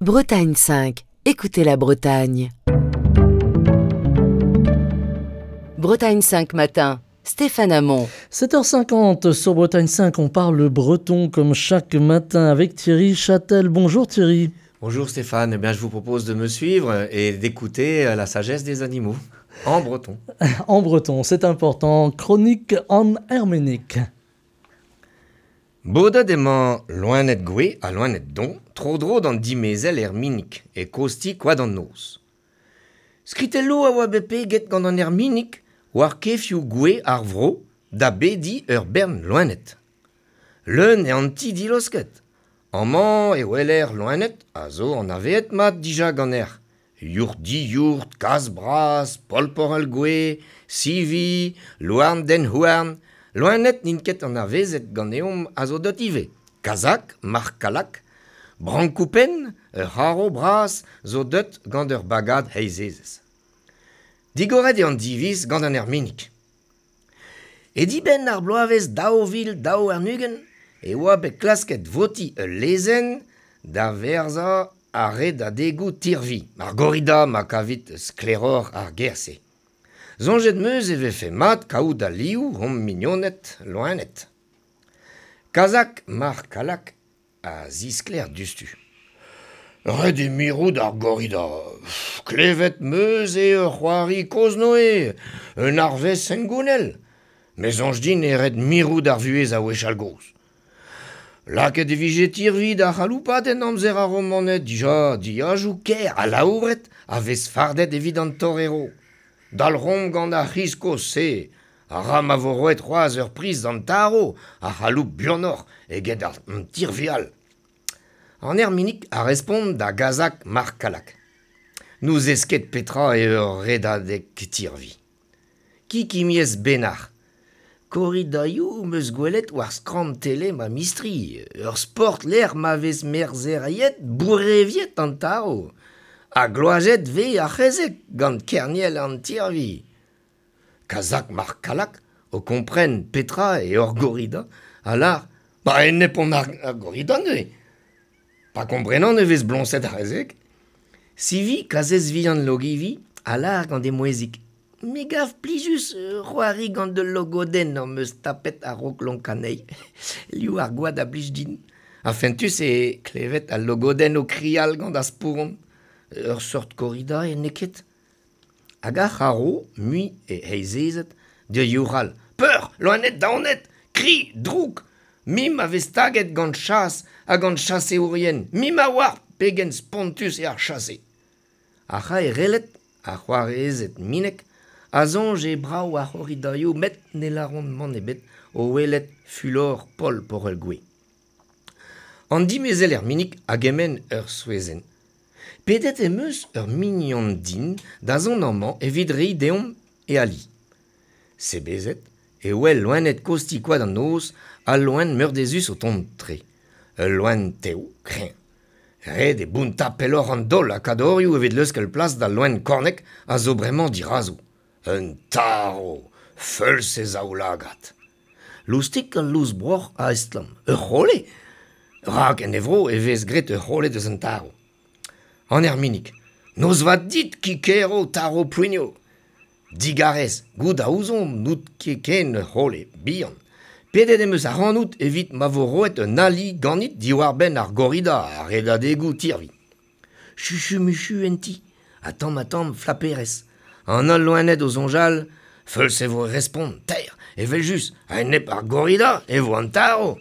Bretagne 5, écoutez la Bretagne. Bretagne 5 matin, Stéphane Hamon. 7h50 sur Bretagne 5, on parle breton comme chaque matin avec Thierry Châtel. Bonjour Thierry. Bonjour Stéphane, eh bien, je vous propose de me suivre et d'écouter la sagesse des animaux en breton. En breton, c'est important. Chronique en herménique. Bodet emañ loened gouez ha loened don tro-dro d'an dimezell erminig e kozh-ti Koad an Noz. Skritelloù a oa bet peget gant an erminig war kefioù gouez ar vro da bediñ ur bern loened. Leun eo an ti dilosket. Amañ e weler loened a zo anavezet mat dija ganeoc'h. Yourc'h-diyourc'h, kazh bras, polporell gouez, sivi, louarn dent-houarn. Loened n'int ket anavezet ganeomp a zo deut ivez. Kazak, marc'h-kallak, brankoù-penn, ur c'harv bras zo deut gant ur bagad heizezez. Digoret eo an diviz gant an erminig. E dibenn ar bloavezh 2022 e oa bet klasket votiñ ul lezenn da verzañ ar redadegoù tirvi, ar gorrida ma kavit sklaeroc'h ar ger-se. Soñjet 'm eus e vefe mat kaout alioù hon mignoned loened. Kazak Marc Kallak a zisklêr diouzhtu. Ret eo mirout ar gorrida. Klevet 'm eus eo ur c'hoari kozh-Noe, un arvest hengounel. Me soñj din eo ret mirout ar vuhez a wechall-gozh. Lakaet e vije tirvi da c'haloupat en amzer ar Romaned dija dilhajoù ker alaouret a vez fardet evit an torero. Dalc'homp gant ar c'hiz kozh-se, a ra ma vo roet c'hoazh ur priz d'an tarv a c'haloup buanoc'h eget an tirvi all. An erminig a respont da Gazak Marc Kallak. N'ouzez ket petra eo ur redadeg tirvi. Kikimiez Benac'h. Korridaioù 'm eus gwelet war skramm tele ma mistri, ur sport lec'h ma vez merzheriet boureviet an tarv. Ha gloazet 'vez ar c'hezeg gant kerniel an tirvi. Kazak Marc Kallak, o kompren petra eo ur gorrida, a lâr Ba enep on ar gorrida neuze. Pa komprenan e vez bloñset ar c'hezeg. Sivi, kazhez vihan Logivi, a lâr gant he mouezhig Me gav plijus c'hoari gant ul logodenn am eus tapet a-raok lonkañ anezhi. Liv ar gwad a blij din. Ha fentus eo klevet al logodenn o krial gant ar spouron. Ur seurt korrida eo, n'eo ket? Hag ar c'harv, mui e heizezed, da youc'hal Peur, loened daonet, kri, droug! Mim a vez taget gant chas ha gant chaseourien, mim a oar pegen spontus eo ar chase. Ar c'haerelled, ar c'hoarezed minek, a soñj eo brav ar c'horridaioù met ne lâront mann ebet o welet fulor Paol Porel-Gouez. An dimezell Erminig a gemenn ur souezhenn. Pedet em eus ur mignon din da zont amañ evit reiñ deomp e ali. Sebezet e wel loened kozh-ti Koad an Noz al loen meurdezus o tont tre. Ul loen tev, kreñv. Ret eo bountañ pelloc'h an daol ha kadorioù evit leuskel plas d'al loen kornek a zo bremañ dirazo. Un tarv, feuls e zaoulagad. Loustik al louz-broc'h a estlamm. Ur c'hole ? Rak en e vro e vez graet ur c'hole deus an tarv. An erminig. Noz vat dit, Kikero, tarv poenio. Digarez, goût a ouzon n'out ket ken ur c'hole, bihan. Pedet em eus ac'hanout evit ma vo roet un ali ganit diwar-benn ar gorrida ha redadegoù tirvi. Chuchu-muchu en ti, ha tamm-ha-tamm flaperezh. An holl loened o soñjal, feuls e vo respont, taer, evel-just, a-enep ar gorrida e vo an tarv.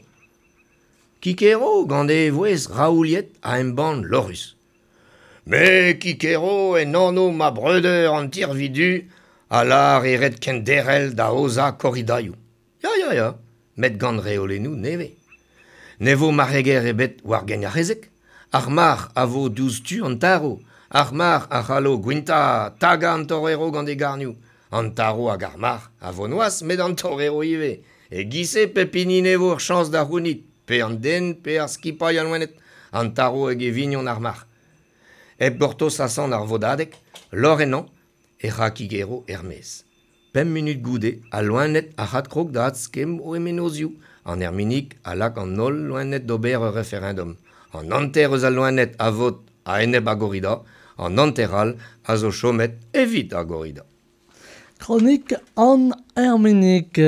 Kikero gant e vouezh raouliet a embann lorc'hus. Me, Kikero, en anv ma breudeur an tirvi du, a lâr eo ret kenderc'hel da aozañ korridaioù. Ya, ya, ya, met gant reolennoù nevez. Ne vo marc'heger ebet war gein ar c'hezeg. Ar marc'h a vo diouzh tu an tarv. Ar marc'h a c'hallo gwintañ, tagañ an torero gant e garnioù. An tarv hag ar marc'h a vo noazh met an torero ivez. E-giz-se pep hini 'nevo ur chañs da c'hounit, pe an den pe ar skipailh a loened, an tarv hag e vignon ar marc'h. Hep gortoz asant ar vodadeg, lorc'h ennañ, e ra Kigero er-maez. Pemp munut goude, al loened a adkrog da adskemm o mennozhioù. An erminig a lak an holl loened d'ober ur referendom. An hanter eus al loened a vot A-enep ar gorrida, an hanter all a zo chomet evit ar gorrida. Chronique en Herminique,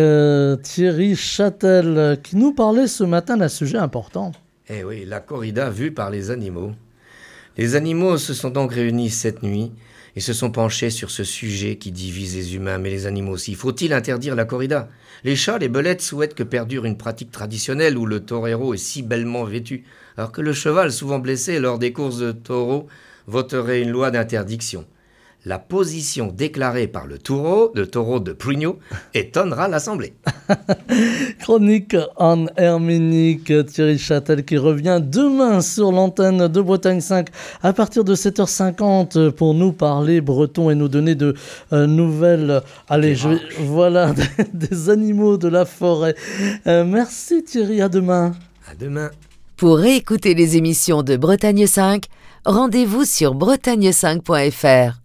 Thierry Châtel, qui nous parlait ce matin d'un sujet important. Eh oui, la corrida vue par les animaux. Les animaux se sont donc réunis cette nuit et se sont penchés sur ce sujet qui divise les humains, mais les animaux aussi. Faut-il interdire la corrida? Les chats, les belettes souhaitent que perdure une pratique traditionnelle où le torero est si bellement vêtu, alors que le cheval, souvent blessé lors des courses de taureaux, voterait une loi d'interdiction. La position déclarée par le taureau de Prugno, étonnera l'Assemblée. Chronique en Herminique, Thierry Châtel qui revient demain sur l'antenne de Bretagne 5 à partir de sept heures cinquante pour nous parler breton et nous donner de nouvelles. Allez, je vais, voilà, des animaux de la forêt. Merci Thierry, à demain. À demain. Pour réécouter les émissions de Bretagne 5, rendez-vous sur bretagne5.fr.